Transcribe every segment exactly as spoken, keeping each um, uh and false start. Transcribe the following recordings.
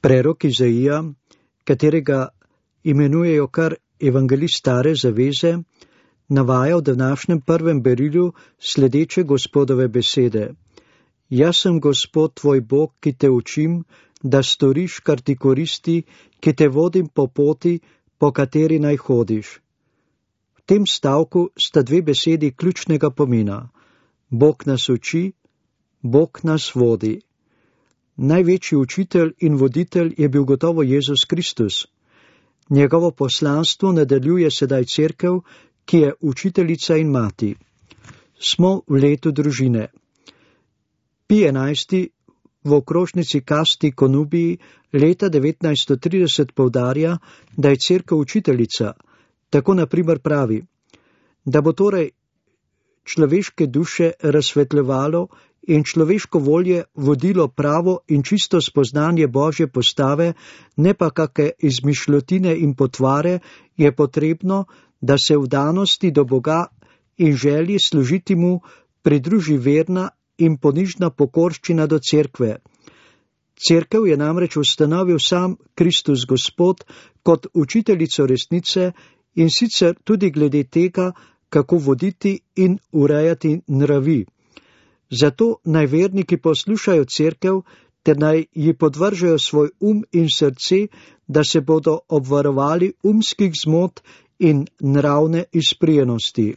Prerok Izaija, katerega imenujejo kar evangelist stare zaveze, navaja v današnjem prvem berilju sledeče Gospodove besede. Jaz sem Gospod tvoj Bog, ki te učim, da storiš, kar ti koristi, ki te vodim po poti, po kateri naj hodiš. V tem stavku sta dve besedi ključnega pomena. Bog nas uči, Bog nas vodi. Največji učitelj in voditelj je bil gotovo Jezus Kristus. Njegovo poslanstvo nadaljuje sedaj cerkev, ki je učiteljica in mati. Smo v letu družine. Pij enajsti v okrožnici Casti Connubii leta devetnajststo trideset poudarja, da je cerkev učiteljica. Tako naprimer pravi, da bo torej človeške duše razsvetljevalo in človeško volje vodilo pravo in čisto spoznanje Božje postave, ne pa kakšne izmišljotine in potvare, je potrebno, da se v danosti do Boga in želji služiti mu pridruži verna in ponižna pokorščina do cerkve. Cerkev je namreč ustanovil sam Kristus Gospod kot učiteljico resnice in sicer tudi glede tega, kako voditi in urejati nravi. Zato naj verniki poslušajo cerkev, ter naj ji podvržajo svoj um in srce, da se bodo obvarovali umskih zmot in nravne izprijenosti.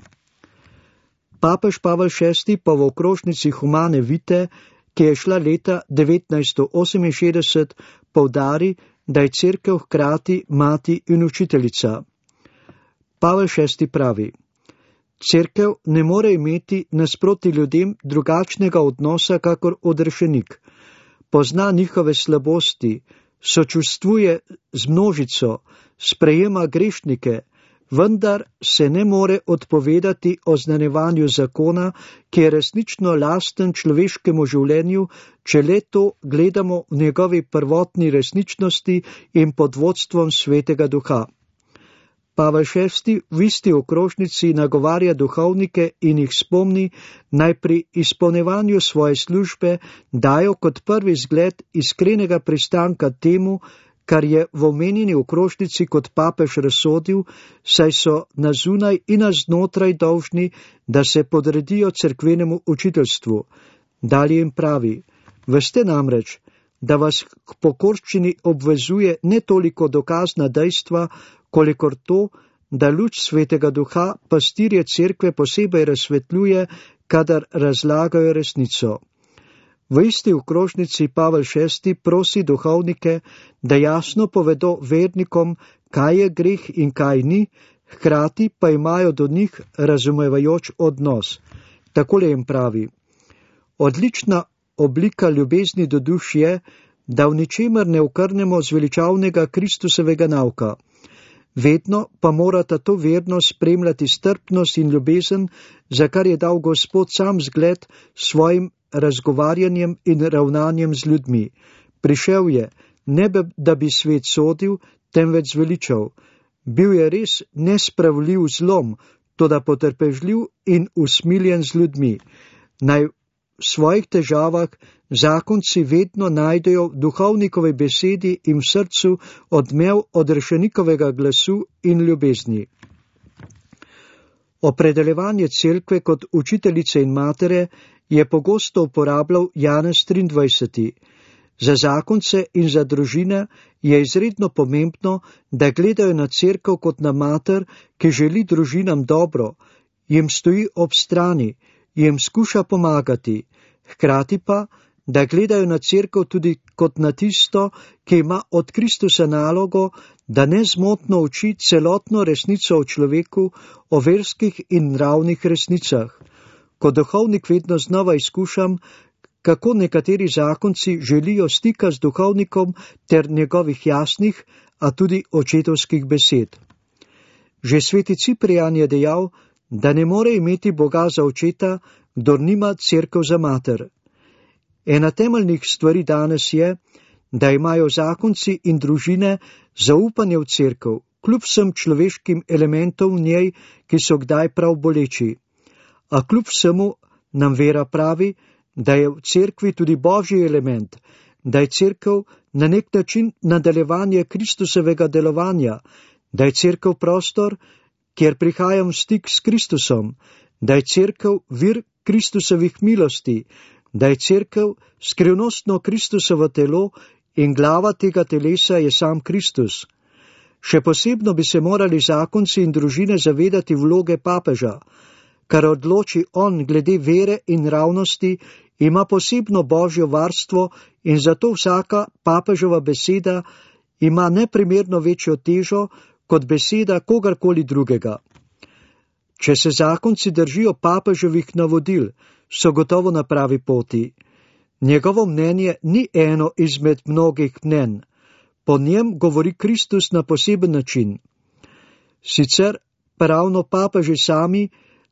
Papež Pavel šesti pa v okrožnici Humane Vitae, ki je šla leta devetnajststo oseminšestdeset, poudari, da je cerkev hkrati mati in učiteljica. Pavel šesti pravi, cerkev ne more imeti nasproti ljudem drugačnega odnosa kakor odrešenik. Pozna njihove slabosti, sočustvuje z množico, sprejema grešnike, vendar se ne more odpovedati oznanjevanju zakona, ki je resnično lasten človeškemu življenju, če le to gledamo v njegovi prvotni resničnosti in pod vodstvom Svetega Duha. Pavel šesti v isti okrožnici nagovarja duhovnike in jih spomni, naj pri izpolnjevanju svoje službe dajo kot prvi zgled iskrenega pristanka temu, kar je v omenjeni okrožnici kot papež razsodil, saj so na zunaj in na znotraj dolžni, da se podredijo cerkvenemu učiteljstvu. Dalje jim pravi, veste namreč, da vas k pokorščini obvezuje ne toliko dokazna dejstva, kolikor to, da luč Svetega Duha pastirje cerkve posebej razsvetljuje, kadar razlagajo resnico. V isti okrožnici Pavel šesti prosi duhovnike, da jasno povedo vernikom, kaj je greh in kaj ni, hkrati pa imajo do njih razumevajoč odnos. Takole jim pravi, odlična oblika ljubezni do duš je, da v ničemer ne okrnemo zveličavnega Kristusovega nauka. Vedno pa morata to vernost spremljati strpnost in ljubezen, za kar je dal Gospod sam zgled svojim razgovarjanjem in ravnanjem z ljudmi. Prišel je, ne da bi svet sodil, temveč zveličal. Bil je res nespravljiv zlom, toda potrpežljiv in usmiljen z ljudmi. Naj v svojih težavah zakonci vedno najdejo v duhovnikovi besedi in v srcu odmev odrešenikovega glasu in ljubezni. Opredeljevanje cerkve kot učiteljice in matere je pogosto uporabljal Janez triindvajseti. Za zakonce in za družine je izredno pomembno, da gledajo na cerkev kot na mater, ki želi družinam dobro, jim stoji ob strani, jim skuša pomagati, hkrati pa, da gledajo na cerkev tudi kot na tisto, ki ima od Kristusa nalogo, da nezmotno uči celotno resnico o človeku, o verskih in nravnih resnicah. Kot duhovnik vedno znova izkušam, kako nekateri zakonci želijo stika z duhovnikom ter njegovih jasnih, a tudi očetovskih besed. Že sveti Ciprijan je dejal, da ne more imeti Boga za očeta, kdor nima cerkev za mater. Ena temeljnih stvari danes je, da imajo zakonci in družine zaupanje v cerkev, kljub vsem človeškim elementom v njej, ki so kdaj prav boleči. A kljub vsemu nam vera pravi, da je v cerkvi tudi božji element, da je cerkev na nek način nadaljevanje Kristusovega delovanja, da je cerkev prostor, kjer prihajam v stik s Kristusom, da je cerkev vir Kristusovih milosti, da je cerkev skrivnostno Kristusovo telo in glava tega telesa je sam Kristus. Še posebno bi se morali zakonci in družine zavedati vloge papeža, kar odloči on glede vere in ravnosti, ima posebno božjo varstvo in zato vsaka papežova beseda ima neprimerno večjo težo kot beseda kogarkoli drugega. Če se zakonci držijo papeževih navodil, so gotovo na pravi poti. Njegovo mnenje ni eno izmed mnogih mnenj. Po njem govori Kristus na poseben način. Sicer pa ravno papeži sami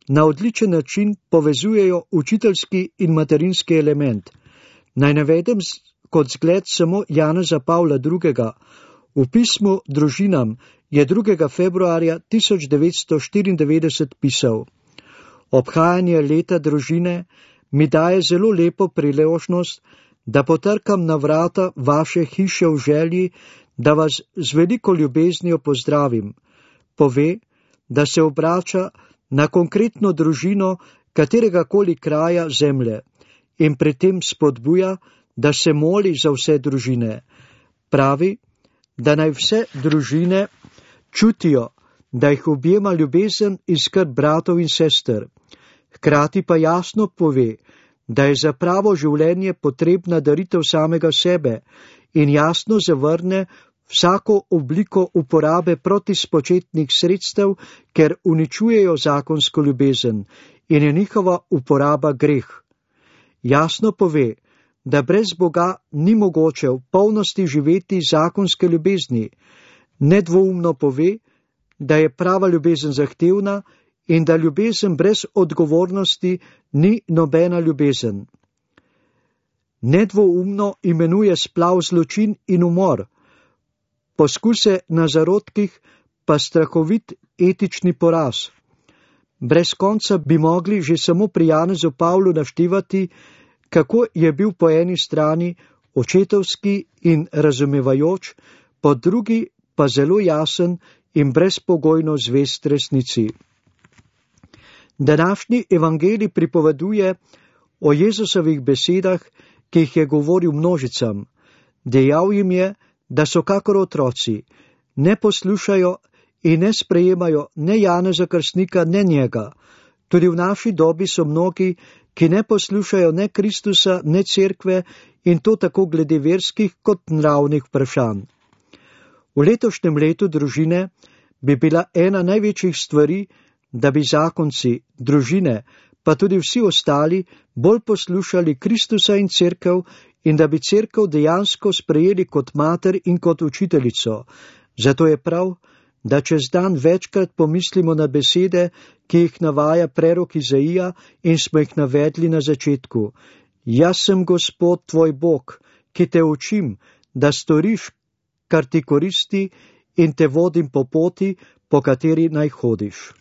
na odličen način povezujejo učiteljski in materinski element. Naj navedem kot zgled samo Janeza Pavla drugega. V pismu družinam je drugega februarja tisoč devetsto štiriindevetdeset pisal: Obhajanje leta družine mi daje zelo lepo priložnost, da potrkam na vrata vaše hiše v želji, da vas z veliko ljubeznijo pozdravim. Pove, da se obrača na konkretno družino kateregakoli kraja zemlje in pri tem spodbuja, da se moli za vse družine. Pravi, da naj vse družine čutijo, da jih objema ljubezen in skrb bratov in sester. Hkrati pa jasno pove, da je za pravo življenje potrebna daritev samega sebe in jasno zavrne vsako obliko uporabe protispočetnih sredstev, ker uničujejo zakonsko ljubezen in je njihova uporaba greh. Jasno pove, da brez Boga ni mogoče v polnosti živeti zakonske ljubezni. Nedvoumno pove, da je prava ljubezen zahtevna in da ljubezen brez odgovornosti ni nobena ljubezen. Nedvoumno imenuje splav zločin in umor, poskuse na zarodkih pa strahovit etični poraz. Brez konca bi mogli že samo pri Janezu Pavlu naštevati, kako je bil po eni strani očetovski in razumevajoč, po drugi pa zelo jasen in brezpogojno zvest resnici. Današnji evangelij pripoveduje o Jezusovih besedah, ki jih je govoril množicam. Dejal jim je, da so kakor otroci, ne poslušajo in ne sprejemajo ne Janeza Krstnika, ne njega. Tudi v naši dobi so mnogi, ki ne poslušajo ne Kristusa, ne cerkve in to tako glede verskih kot nravnih vprašanj. V letošnjem letu družine bi bila ena največjih stvari, da bi zakonci, družine, pa tudi vsi ostali bolj poslušali Kristusa in cerkev in da bi cerkev dejansko sprejeli kot mater in kot učiteljico. Zato je prav, da čez dan večkrat pomislimo na besede, ki jih navaja prerok Izaija in smo jih navedli na začetku. Jaz sem Gospod tvoj Bog, ki te učim, da storiš, kar ti koristi in te vodim po poti, po kateri naj hodiš.